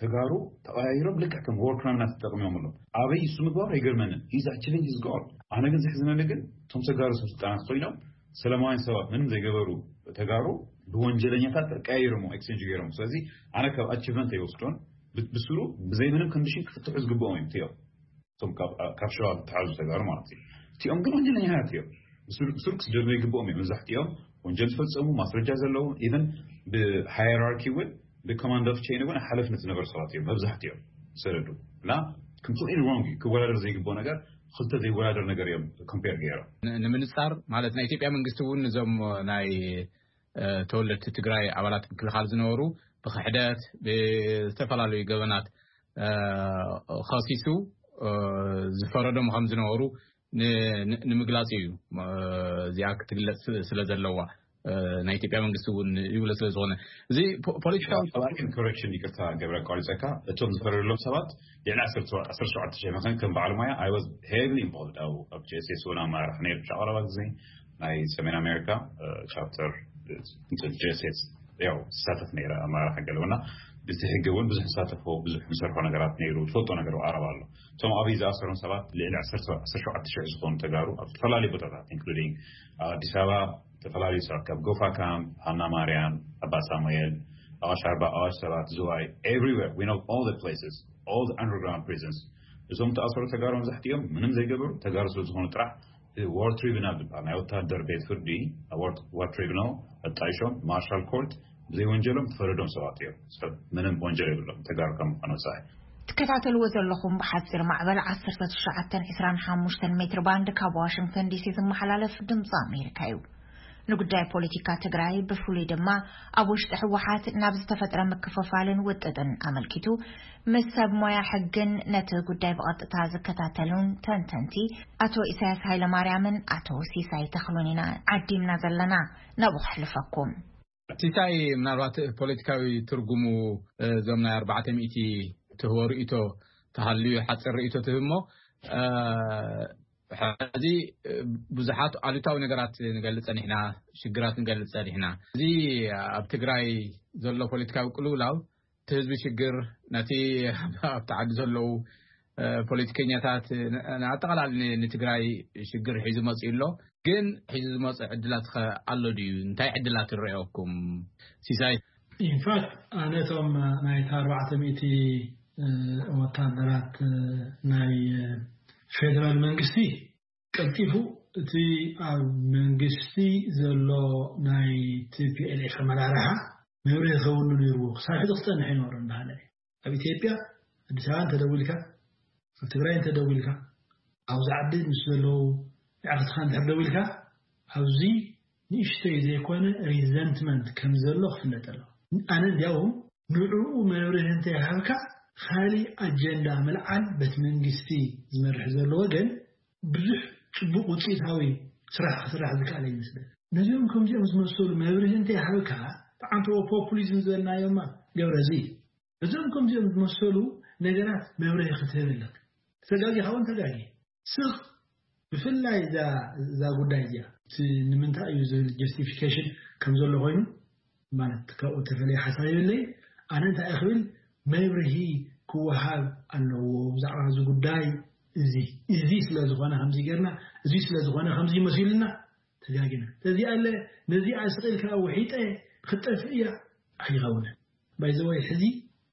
ተጋሩ ተቐያይሮም ልክዕ ከም ዋር ክራይም እናተጠቕሚዮም ኣሎ። ኣበይ እሱ ምግባር ኣይገርመንን። He's achieving his goal። ኣነ ግን ዘሕዝነኒ ግን እቶም ተጋሩ ሰብ ስልጣናት ኮይኖም ሰላማውያን ሰባት ምንም ዘይገበሩ ተጋሩ ብወንጀለኛታት ቀያይሮም ኤክስቼንጅ ገይሮም። ስለዚ ኣነ ካብ ኣቺቭመንት ኣይወስዶን። ብ- ብስሩ ብዘይ ምንም ኮንዲሽን ክፍትሑ ዝግብኦም እዮም እቲኦም። እቶም ካብ- ካብ ሸዋ ዝተሓዙ ተጋሩ ማለት እዩ። እቲኦም ግን ወንጀለኛታት እዮም። ብስሩ ብስሩ ክስደዱ ይግብኦም እዮም። መብዛሕትኦም ወንጀል ዝፈፀሙ ማስረጃ ዘለዎም ኢቨን ብሃየራርኪ እውን ብኮማንድ ኦፍ ቼን እውን ሓለፍነት ዝነበሩ ሰባት እዮም መብዛሕትኦም ዝሰደዱ። እና ኮምፕሊትሊ ሮንግ እዩ። ክወዳደር ዘይግብኦ ነገር ክልተ ዘይወዳደር ነገር እዮም ኮምፔር ገይሮም። ን- ንምንጻር ማለት ናይ ኢትዮጵያ መንግስቲ እውን እዞም ናይ እ፣ ተወለድቲ ትግራይ ኣባላት ምክልኻል ዝነበሩ ብክሕደት ብዝተፈላለዩ ገበናት እ፣ ከሲሱ እ፣ ዝፈረዶም ከም ዝነበሩ ን- ን- ንምግላጽ እዩ። እ፣ እዚኣ ክትግለጽ ስለ ዘለዋ እ፣ ናይ ኢትዮጵያ መንግስቲ እውን ይብሎ ስለ ዝኾነ እዚ ፖ- ፖለቲካዊ ኮሬክሽን ይቅርታ ገብረ ኣቋሪፀካ። እቶም ዝፈረደሎም ሰባት ልዕሊ ዓሰርተ ሸውዓተ ሺሕ መኸን ከም በዓል ሞያ I was heavily involved ኣብ ኣብ ጄስስ እውን ኣመራርሓ ነይሩ ሻቀረባ ግዜ ናይ ሰሜን ኣሜሪካ ቻፕተር ጄስስ ያው ዝሳተፍ ነይረ ኣመራርሓ ገለውና ብቲ ሕጊ እውን ብዙሕ ዝሳተፎ ብዙሕ ዝሰርሖ ነገራት ነይሩ። ትፈልጦ ነገር ዓረብ ኣሎ። እቶም ኣብይ ዝኣሰሮም ሰባት ልዕሊ ዓሰርተ ሸውዓተ ሺሕ ዝኾኑ ተጋሩ ኣብ ዝተፈላለዩ ቦታታት ኢንክሉዲንግ ኣዲስ ኣበባ ዝተፈላለዩ ሰባት ካብ ጎፋ ካምፕ ሃና ማርያም ኣባ ሳሙኤል ኣዋሽ ኣርባ ኣዋሽ ሰባት ዝዋይ everywhere we know all the places all the underground prisons እዞም ተኣሰሩ ተጋሩ መብዛሕትኦም ምንም ዘይገበሩ ተጋሩ ስለ ዝኾኑ ጥራሕ ዋር ትሪቡናል ዝበሃል ናይ ወታደር ቤት ፍርዲ ዋር ትሪቡናል ኣጣይሾም ማርሻል ኮርት ብዘይ ወንጀሎም ተፈረዶም ሰባት እዮም። ሰብ ምንም ወንጀል የብሎም ተጋሩ ከም ምዃኑ ወፃኢ። ትከታተልዎ ዘለኹም ብሓፂር ማዕበል ዓሰርተ ትሽዓተ ዕስራን ሓሙሽተን ሜትር ባንድ ካብ ዋሽንግተን ዲሲ ዝመሓላለፍ ድምፂ ኣሜሪካ እዩ። ንጉዳይ ፖለቲካ ትግራይ ብፍሉይ ድማ ኣብ ውሽጢ ህወሓት ናብ ዝተፈጥረ ምክፍፋልን ውጥጥን ኣመልኪቱ ምስ ሰብ ሞያ ሕግን ነቲ ጉዳይ ብቐጥታ ዝከታተሉን ተንተንቲ ኣቶ ኢሳያስ ሃይለማርያምን ኣቶ ሲሳይ ተኽሉን ኢና ዓዲምና ዘለና። ናብኡ ከሕልፈኩም። ሲሳይ ምናልባት ፖለቲካዊ ትርጉሙ እዞም ናይ ኣርባዕተ ሚእቲ ትህቦ ርእይቶ ተሃልዩ ሓፂር ርእይቶ ትህብ እሞ ሕዚ ብዙሓት ኣሉታዊ ነገራት ንገልፅ ጸኒሕና፣ ሽግራት ንገልፅ ጸኒሕና። እዚ ኣብ ትግራይ ዘሎ ፖለቲካዊ ቅልውላው እቲ ህዝቢ ሽግር ነቲ ኣብቲ ዓዲ ዘለዉ ፖለቲከኛታት ኣጠቃላሊ ንትግራይ ሽግር ሒዙ መፅኡ ኣሎ። ግን ሒዙ ዝመፅእ ዕድላት ከ ኣሎ ድዩ? እንታይ ዕድላት ይረኣየኩም? ሲሳይ ኢንፋክት ኣነ እቶም ናይታ ኣርባዕተ ሚእቲ ወታደራት ናይ ፌደራል መንግስቲ ቀልጢፉ እቲ ኣብ መንግስቲ ዘሎ ናይ ቲፒኤልኤፍ ኣመራርሓ መብርሂ ከውሉ ነይርዎ ክሳብ ሕዚ ክፀንሕ ይነበሩ እንዳሃለ ኣብ ኢትዮጵያ ኣዲስ ኣበባ እንተደዊልካ ኣብ ትግራይ እንተደዊልካ ኣብዚ ዓዲ ምስ ዘለዉ ኣዕርትኻ እንድሕር ደዊልካ ኣብዚ ንእሽተይ ዘይኮነ ሪዘንትመንት ከም ዘሎ ክፍለጥ ኣሎ። ኣነ እንዲያውም ንዕኡ መብርሂ እንተይሃብካ ካሊእ ኣጀንዳ ምልዓል በቲ መንግስቲ ዝመርሕ ዘሎ ወገን ብዙሕ ፅቡቕ ውፅኢታዊ ስራሕ ክስራሕ ዝከኣለ ይመስለኒ። ነዚኦም ከምዚኦም ዝመሰሉ መብርሂ እንተይሃብካ ብዓንተቦ ፖፑሊዝም ዝበልናዮማ ገብረ እዚ እዞም ከምዚኦም ዝመሰሉ ነገራት መብርሂ ክትህብ ኣለካ። ተጋጊኻ እውን ተጋጊ ስቕ ብፍላይ እዛ ጉዳይ እዚኣ እቲ ንምንታይ እዩ ዝብል ጀስቲፊኬሽን ከም ዘሎ ኮይኑ ማለት ካብኡ ተፈለየ ሓሳብ የብለይ። ኣነ እንታይ እየ ክብል መብርሂ ክወሃብ ኣለዎ ብዛዕባ እዚ ጉዳይ እዚ እዚ ስለ ዝኾነ ከምዚ ጌርና እዚ ስለ ዝኾነ ከምዚ መሲሉና ተጋጊና። ስለዚ ኣለ ነዚኣ ስቕ ኢልካ ውሒጠ ክትጠፍእ እያ ኣይኸውንን። ባይዘወይ ሕዚ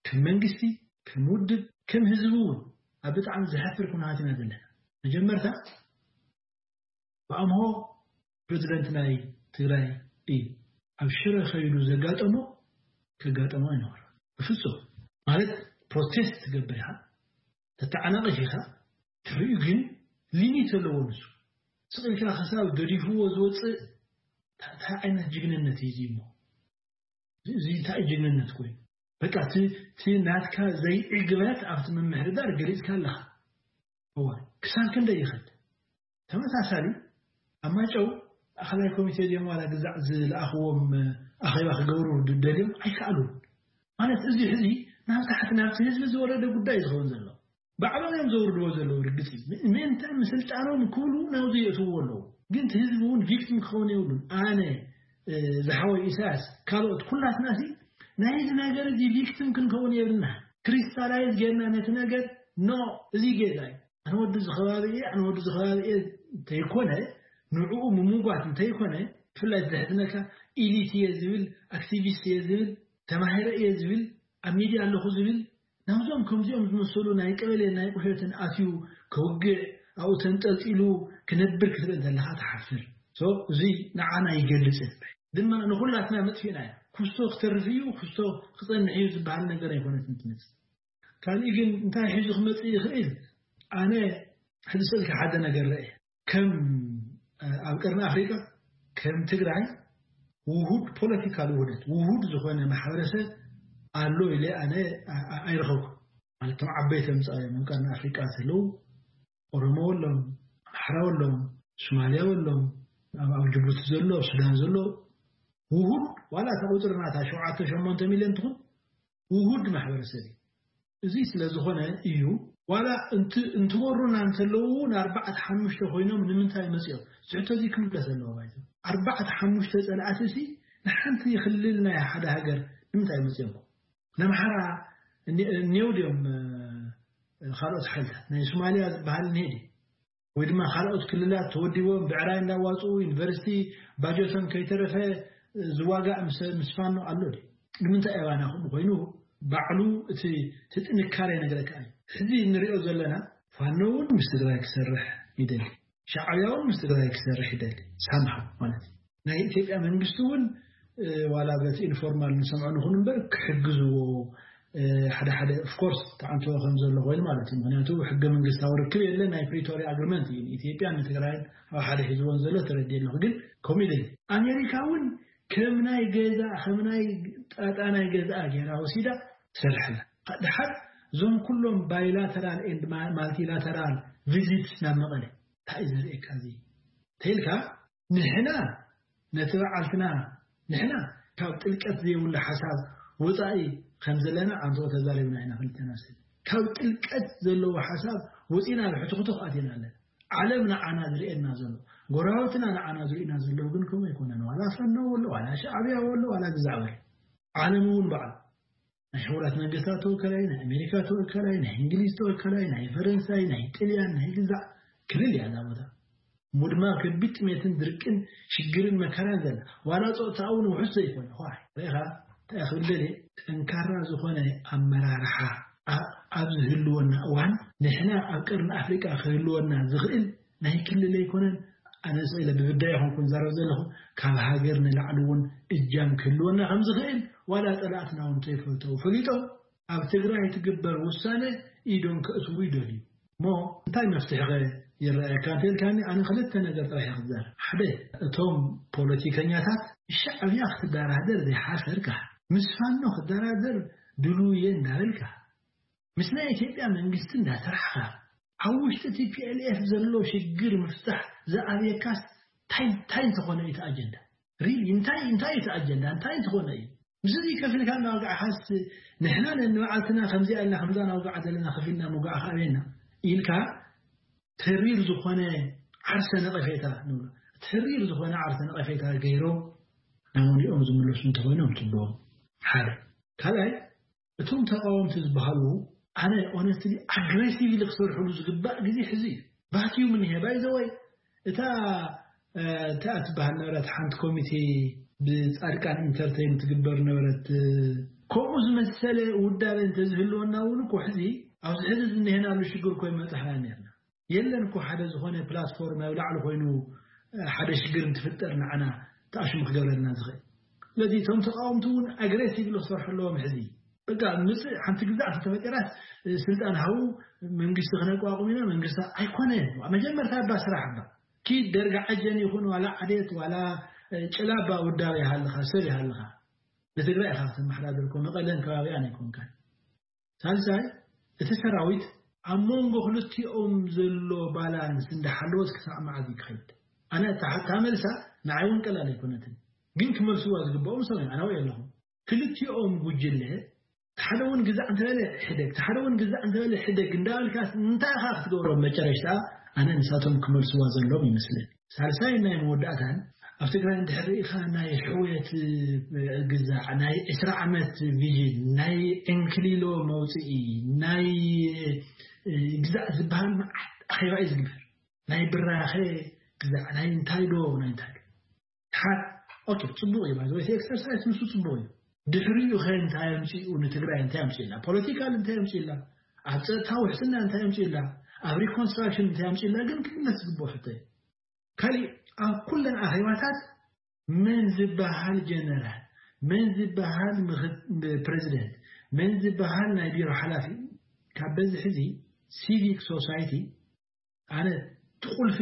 ከም መንግስቲ፣ ከም ውድብ፣ ከም ህዝቢ እውን ኣብ ብጣዕሚ ዘሕፍር ኩነታት ኢና ዘለና። መጀመርታ ብኣምሆ ፕሬዚደንት ናይ ትግራይ እዩ። ኣብ ሽረ ከይዱ ዘጋጠሞ ከጋጠሞ ኣይነበረ ብፍፁም። ማለት ፕሮቴስት ትገብር ኢኻ፣ ተተዓናቕፍ ኢኻ፣ ትርእዩ ግን ሊሚት ዘለዎ ንሱ ስቕ ኢልካ ክሳብ ገዲፍዎ ዝወፅእ እንታይ ዓይነት ጅግንነት እዩ እሞ? እዚ እንታይ ጅግንነት ኮይኑ? በቃ እቲ ናትካ ዘይዕግበት ኣብቲ ምምሕዳር ገሊፅካ ኣለኻ። እዋ ክሳብ ክንደይ ይኸድ? ተመሳሳሊ ኣብ ማይጨው ማእኸላይ ኮሚቴ ድዮም ዋላ ግዛዕ ዝለኣኽዎም ኣኼባ ክገብሩ ደልዮም ኣይከኣሉን። ማለት እዚ ሕዚ ናብ ታሕቲ ናብቲ ህዝቢ ዝወረደ ጉዳይ ዝኸውን ዘሎ ባዕሎም እዮም ዘውርድዎ ዘለዉ። ርግፅ እዩ ምእንተ ምስልጣኖም ክብሉ ናብዚ የእትዎ ኣለዉ። ግን እቲ ህዝቢ እውን ቪክቲም ክኸውን የብሉን። ኣነ ዝሓወይ ኢሳያስ ካልኦት ኩላትና ሲ ናይዚ ነገር እዚ ቪክቲም ክንከውን የብልና። ክሪስታላይዝ ጌርና ነቲ ነገር ኖ እዚ ጌጋ እዩ። ኣነ ወዲ ዝኸባቢ እየ ኣነ ወዲ ዝኸባቢ እየ እንተይኮነ ንዕኡ ምምጓት እንተይኮነ ብፍላይ ዝሕዝነካ ኢሊት እየ ዝብል ኣክቲቪስት እየ ዝብል ተማሂረ እየ ዝብል ኣብ ሚድያ ኣለኹ ዝብል ናብዞም ከምዚኦም ዝመሰሉ ናይ ቀበሌ ናይ ቁሸትን ኣትዩ ከውግዕ ኣብኡ ተንጠልጢሉ ክነብር ክትርኢ እንተለኻ ትሓፍር። እዚ ንዓና ይገልጽ ድማ ንኹላትና መጥፊእና እያ። ኩስቶ ክተርፍ እዩ ኩስቶ ክጸንሕ እዩ ዝበሃል ነገር ኣይኮነትን ትመጽእ። ካልእ ግን እንታይ ሒዙ ክመጽእ ይኽእል? ኣነ ሕዚ ስእልካ ሓደ ነገር ረአ ከም ኣብ ቀርኒ ኣፍሪቃ ከም ትግራይ ውሁድ ፖለቲካል ውህደት ውሁድ ዝኾነ ማሕበረሰብ ኣሎ ኢለ ኣነ ኣይረኸብኩ። ማለት ቶም ዓበይቲ ምፃ እዮም ኣብ ቀርኒ ኣፍሪቃ ዘለዉ ኦሮሞ ኣለዎም ኣምሓራ ኣለዎም ሶማልያ ኣለዎም ኣብ ጅቡቲ ዘሎ ኣብ ሱዳን ዘሎ ውሁድ ዋላ እታ ቁፅሪ ናታ ሸውዓተ ሸሞንተ ሚልዮን ትኹን ውሁድ ማሕበረሰብ እዩ። እዚ ስለ ዝኾነ እዩ ዋላ እንትወሩና እንተለዉ ንኣርባዕተ ሓሙሽተ ኮይኖም ንምንታይ መፅኦም ዝሕቶ እዚ ክምለስ ኣለዎ ባይቶ ኣርባዕተ ሓሙሽተ ፀላእቲ ሲ ንሓንቲ ክልል ናይ ሓደ ሃገር ንምንታይ መፅኦም ነምሓራ እኔው ድዮም ካልኦት ሓይልታት ናይ ሶማልያ ዝበሃል እኒሄ ድዩ ወይ ድማ ካልኦት ክልላት ተወዲቦም ብዕራይ እንዳዋፅኡ ዩኒቨርሲቲ ባጀቶም ከይተረፈ ዝዋጋእ ምስ ፋኖ ኣሎ ድዩ? ንምንታይ ኣባና ከምኡ ኮይኑ ባዕሉ እቲ እቲ ጥንካሬ ይነግረካ እዩ። ሕዚ እንሪኦ ዘለና ፋኖ እውን ምስ ትግራይ ክሰርሕ ይደሊ፣ ሻዕብያ እውን ምስ ትግራይ ክሰርሕ ይደሊ ሳምሃ ማለት እዩ። ናይ ኢትዮጵያ መንግስቲ እውን ዋላ በቲ ኢንፎርማል ንሰምዖ ንኹን እምበር ክሕግዝዎ ሓደ ሓደ ኦፍኮርስ ተዓንቶ ከም ዘሎ ኮይኑ ማለት እዩ። ምክንያቱ ሕገ መንግስታዊ ርክብ የለ ናይ ፕሪቶሪያ ኣግሪመንት እዩ ኢትዮጵያ ንትግራይ ኣብ ሓደ ሒዝዎን ዘሎ ተረዲ ኣለኹ ግን ኮሚደ ኣሜሪካ እውን ከም ናይ ገዛ ከም ናይ ጣጣ ናይ ገዛ ገይራ ወሲዳ ትሰርሐላ። ድሓር እዞም ኩሎም ባይላተራል ኤንድ ማልቲላተራል ቪዚትስ ናብ መቐለ እንታይ እዩ ዘርእየካ እዚ ተይልካ ንሕና ነቲ በዓልትና ንሕና ካብ ጥልቀት ዘይብሉ ሓሳብ ወፃኢ ከም ዘለና ኣንተኦ ተዛሪብና ኢና ክልተና ስለ ካብ ጥልቀት ዘለዎ ሓሳብ ወፂና ብሕትኽቱኽ ኣቲና ኣለና። ዓለም ንዓና ዝርእየና ዘሎ ጎረባብትና ንዓና ዝርእዩና ዘለዉ ግን ከምኡ ኣይኮነን። ዋላ ፈኖ ወሎ ዋላ ሻዕብያ ወሎ ዋላ ግዛዕ በል ዓለም እውን በዓል ናይ ሕቡራት መንግስታት ተወከላይ ናይ ኣሜሪካ ተወከላይ ናይ እንግሊዝ ተወከላይ ናይ ፈረንሳይ ናይ ጥልያን ናይ ግዛዕ ክልል እያ እዛ ቦታ። ሙድማ ከቢድ ጥሜትን ድርቅን ሽግርን መከራን ዘላ ዋላ ፆታ እውን ውሑስ ዘይኮነ ኳ ርኢኻ እንታይ ክብል ደልየ ጠንካራ ዝኾነ ኣመራርሓ ኣብ ዝህልወና እዋን ንሕና ኣብ ቀርኒ ኣፍሪቃ ክህልወና ዝኽእል ናይ ክልል ኣይኮነን። ኣነ ስኢለ ብብዳ ይኹንኩ ዝዛረብ ዘለኹ ካብ ሃገር ንላዕሊ እውን እጃም ክህልወና ከም ዝኽእል ዋላ ፀላእትና እውን ተይፈልተው ፈሊጦም ኣብ ትግራይ ትግበር ውሳነ ኢዶም ከእትዉ ይደልዩ እሞ እንታይ መፍትሒ ኸ ይረኣየካ እንተልካኒ ኣነ ክልተ ነገር ጥራሕ ክዛር ሓደ እቶም ፖለቲከኛታት ሻዕብያ ክትደራደር ዘይሓሰርካ ምስ ፋኖ ክደራደር ድሉየ እንዳበልካ ምስ ናይ ኢትዮጵያ መንግስቲ እንዳሰራሕካ ኣብ ውሽጢ ቲ ፒ ኤል ኤፍ ዘሎ ሽግር ምፍታሕ ዝኣብየካስ እንታይ ዝኾነ እዩ ኣጀንዳ ሪሊ እንታይ እንታይ እቲ ኣጀንዳ እንታይ ዝኾነ እዩ ምስዚ ከፊልካ እናወጋዕካስ ንሕና ነንባዕልትና ከምዚኣ ኢልና ከምዛ ናውጋዓ ዘለና ከፊልና ምውጋዕ ከኣበየና ኢልካ ተሪር ዝኾነ ዓርሰ ነቐፌታ ንብሎ ተሪር ዝኾነ ዓርሰ ነቐፌታ ገይሮም ናሞኒኦም ዝምለሱ እንተኾይኖም ፅቡቕ ሓደ ካልኣይ እቶም ተቃወምቲ ዝበሃሉ ኣነ ኦነስትሊ ኣግሬሲቭሊ ክሰርሕሉ ዝግባእ ግዜ ሕዚ እዩ። ባትዩ ምንሄ ባይዘወይ እታ እታ ትበሃል ነበረት ሓንቲ ኮሚቴ ብፃድቃን ኢንተርቴን ትግበር ነበረት። ከምኡ ዝመሰለ ውዳበ እንተዝህልወና እውን እኮ ሕዚ ኣብዚ ሕዚ ዝንሄናሉ ሽግር እኮ ይመፅሓና ነርና። የለን እኮ ሓደ ዝኾነ ፕላትፎርም ኣብ ላዕሊ ኮይኑ ሓደ ሽግር እንትፍጠር ንዓና ተኣሽሙ ክገብረልና ዝኽእል። ስለዚ እቶም ተቃወምቲ እውን ኣግሬሲቭ ክሰርሑ ኣለዎም። ሕዚ በቃ ምፅእ ሓንቲ ግዛዕ ተፈጢራስ ስልጣን ሃቡ መንግስቲ ክነቋቁም ኢና መንግስቲ ኣይኮነ። መጀመርታ እባ ስራሕ እባ ኪድ ደርጋ ዓጀን ይኹን ዋላ ዓዴት ዋላ ጭላባ ውዳብ ይሃልኻ ሰብ ይሃልኻ ንትግራይ ኢኻ ክትመሓዳደር እኮ መቐለን ከባቢኣን ኣይኮንካን። ሳልሳይ እቲ ሰራዊት ኣብ መንጎ ክልቲኦም ዘሎ ባላንስ እንዳሓለወስ ክሳዕ መዓዝ እዩ ክኸይድ? ኣነ እታ ሓታ መልሳ ንዓይ እውን ቀላል ኣይኮነትን፣ ግን ክመልስዋ ዝግብኦም ሰብ እዮም። ኣነ ወይ ኣለኹም ክልቲኦም ጉጅለ ሓደ እውን ግዛዕ እንተበለ ሕደግ ሓደ እውን ግዛዕ እንተበለ ሕደግ እንዳበልካ እንታይ ኢኻ ክትገብሮም? መጨረሽታ ኣነ ንሳቶም ክመልስዋ ዘሎም ይመስለኒ። ሳልሳይ ናይ መወዳእታን ኣብ ትግራይ እንድሕር ርኢኻ ናይ ሕውየት ግዛዕ ናይ ዕስራ ዓመት ቪዥን ናይ ዕንክሊሎ መውፅኢ ናይ ግዛዕ ዝበሃል መዓት ኣኼባ እዩ ዝግበር። ናይ ብራኸ ግዛዕ ናይ እንታይ ዶ ናይ እንታይ ዶ ሓ ኦኬ፣ ፅቡቅ እዩ ማለት ወይ ኤክሰርሳይስ ንሱ ፅቡቅ እዩ። ድሕሪኡ ከ እንታይ ኣምፅኡ ንትግራይ እንታይ ኣምፅእላ ፖለቲካል እንታይ ኣምፅእላ ኣብ ፀጥታ ውሕስና እንታይ ኣምፅእላ ኣብ ሪኮንስትራክሽን እንታይ ኣምፅእላ ግን ክምለስ ዝግብኦ ሕቶ እዩ። ካሊእ ኣብ ኩለን ኣኼባታት መን ዝበሃል ጀነራል መን ዝበሃል ፕሬዚደንት መን ዝበሃል ናይ ቢሮ ሓላፊ ካብ በዚ ሕዚ ሲቪክ ሶሳይቲ ኣነ ትቁልፊ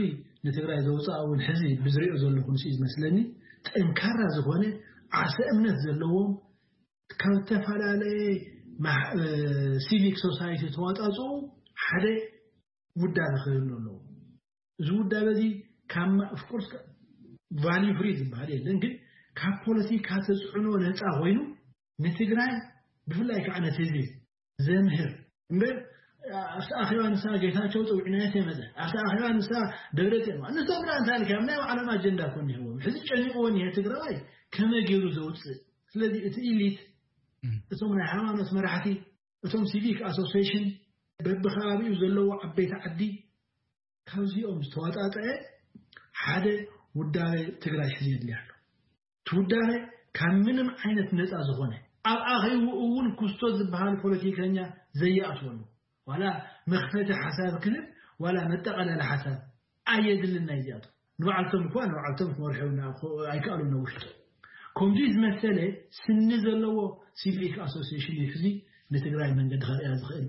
ንትግራይ ዘውፅኣ እውን ሕዚ ብዝሪኦ ዘለኹ ንስ ዝመስለኒ ጠንካራ ዝኾነ ዓርሰ እምነት ዘለዎም ካብ ዝተፈላለየ ሲቪክ ሶሳይቲ ተዋፃፅኡ ሓደ ውዳበ ክህሉ ኣለዎ። እዚ ውዳበ እዚ ካብ ኦፍኮርስ ቫልዩ ፍሪ ዝበሃል የለን ግን ካብ ፖለቲካ ተፅዕኖ ነፃ ኮይኑ ንትግራይ ብፍላይ ከዓ ነቲ ህዝቢ ዘምህር እምበር ኣብቲ ኣኼባ ንሳ ጌታቸው ፀዊዕናዮ ተይመፀ ኣብቲ ኣኼባ ንሳ ደብረፅዮን ንሶም ና እንታይ ኢልካ ናይ ባዕሎም ኣጀንዳ ኮ እኒህዎም ሕዚ ጨኒቕዎ እኒሀ ትግራዋይ ከመይ ገይሩ ዘውፅእ? ስለዚ እቲ ኢሊት እቶም ናይ ሃይማኖት መራሕቲ እቶም ሲቪክ ኣሶሲሽን በብከባቢኡ ዘለዎ ዓበይቲ ዓዲ ካብዚኦም ዝተዋጣጠዐ ሓደ ውዳበ ትግራይ ሕዚ የድልያ ኣሎ። እቲ ውዳበ ካብ ምንም ዓይነት ነፃ ዝኾነ ኣብ ኣኼቡ እውን ኩስቶ ዝበሃል ፖለቲከኛ ዘየኣትወሉ ዋላ መኽፈቲ ሓሳብ ክህብ ዋላ መጠቐለሊ ሓሳብ ኣየድልን። ናይ እዚኣቶም ንባዕልቶም እኳ ንባዕልቶም ክመርሑ ኣይከኣሉ ነ ውሽጡ ከምዚ ዝመሰለ ስኒ ዘለዎ ሲቪክ ኣሶሲሽን እዩ ሕዚ ንትግራይ መንገዲ ከርእያ ዝኽእል።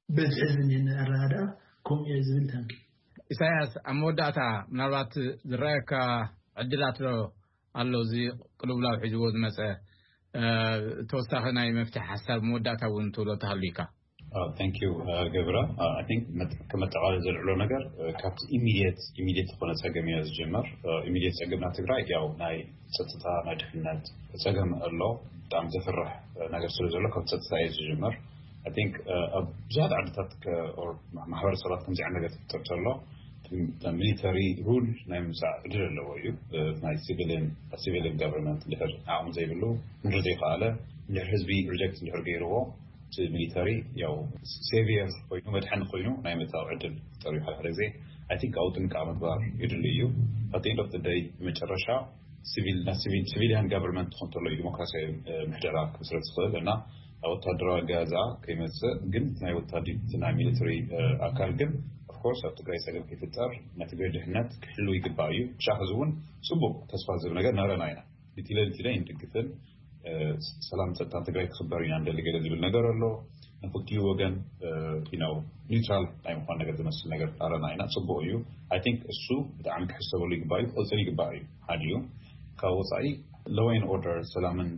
በዚ ሕዚ ዝኒሀኒ ኣረዳድኣ ከምኡ እየ ዝብል። ታንኪ። ኢሳያስ፣ ኣብ መወዳእታ ምናልባት ዝረኣየካ ዕድላት ዶ ኣሎ? እዚ ቅልውላው ሒዝዎ ዝመፀ ተወሳኺ ናይ መፍትሒ ሓሳብ መወዳእታ እውን ትብሎ ተሃሉ ኢካ? Thank you ገብረ። I think ከመጠቓለል ዘልዕሎ ነገር ካብቲ ኢሚድየት ኢሚድየት ዝኾነ ፀገም እዮ ዝጀመር። ኢሚድየት ፀገምና ትግራይ ያው ናይ ፀጥታ ናይ ድሕነት ፀገም ኣሎ። ብጣዕሚ ዘፍርሕ ነገር ስለ ዘሎ ካብ ፀጥታ እየ ዝጀመር። I think ኣብ ብዙሓት ዓድታት ማሕበረሰባት ከምዚ ዓይነት ነገር ትፍጠር ተሎ ሚሊተሪ ሩል ናይ ምምፃእ ዕድል ኣለዎ እዩ። ናይ ሲቪልን ሲቪልን ጋቨርንመንት እንድሕር ዓቕሚ ዘይብሉ እንድሕር ዘይከኣለ እንድሕር ህዝቢ ሪጀክት እንድሕር ገይርዎ እቲ ሚሊተሪ ያው ሴቪየር ኮይኑ መድሐኒ ኮይኑ ናይ ምእታው ዕድል ይፈጠር እዩ። ሓደ ሓደ ግዜ I think ኣብኡ ጥንቃ ምግባር የድሊ እዩ። At the end of the day ብመጨረሻ ሲቪል ናይ ሲቪል ሲቪሊያን ጋቨርንመንት ትኾን ተሎ እዩ ዲሞክራሲያዊ ምሕደራ ክምስረት ዝኽእል እና ኣብ ወታደራዊ ኣገዛዝኣ ከይመፅእ ግን ናይ ወታዲ ናይ ሚሊተሪ ኣካል ግን ኦፍኮርስ ኣብ ትግራይ ፀገም ከይፍጠር ናይ ትግራይ ድሕነት ክሕሉ ይግባእ እዩ። ሻ ሕዚ እውን ፅቡቅ ተስፋ ዝህብ ነገር ነረና ኢና። ሊትለ ሊትለ ይንድግፍን ሰላም ፀጥታን ትግራይ ክኽበር ኢና እንደሊ ገለ ዝብል ነገር ኣሎ። ንክልቲኡ ወገን ነው ኒውትራል ናይ ምኳን ነገር ዝመስል ነገር ኣረና ኢና። ፅቡቅ እዩ። I think እሱ ብጣዕሚ ክሕሰበሉ ይግባእ እዩ። ክቅፅል ይግባእ እዩ። ሓደ እዩ ካብ ወፃኢ ሎወይን ኦርደር ሰላምን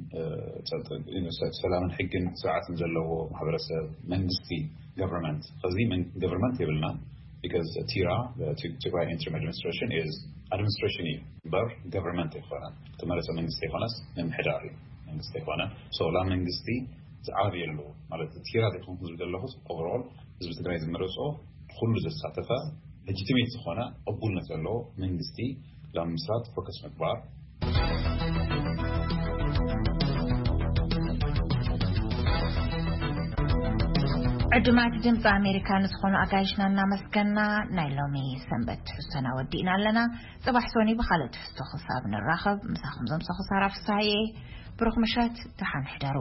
ሰላምን ሕግን ስርዓትን ዘለዎ ማሕበረሰብ መንግስቲ ገቨርንመንት ከዚ ገቨርንመንት የብልና። Because ቲራ ትግራይ ኢንትሪም ኣድሚኒስትሬሽን is ኣድሚኒስትሬሽን እዩ እምበር ገቨርንመንት ኣይኮነን። ተመረፀ መንግስቲ ኣይኮነስ ምምሕዳር እዩ መንግስቲ ኣይኮነ። So ላ መንግስቲ ዝዓብየሉ ማለት ቲራ ዘይኮንኩ ዝብል ዘለኹ ኦቨርኦል ህዝቢ ትግራይ ዝመረፆ ኩሉ ዘሳተፈ ሌጂቲሜት ዝኾነ ቅቡልነት ዘለዎ መንግስቲ ለምስራት ፎከስ ምግባር። ዕዱማት ድምፂ ኣሜሪካ ንዝኾኑ ኣጋይሽና እናመስገና፣ ናይ ሎሚ ሰንበት ትሕዝቶና ወዲእና ኣለና። ፅባሕ ሶኒ ብኻልእ ትሕዝቶ ክሳብ ንራኸብ፣ ምሳኹም ዘምሰኹ ሳራ ፍሳሐየ። ብሩኽ ምሸት፣ ደሓን ሕደሩ።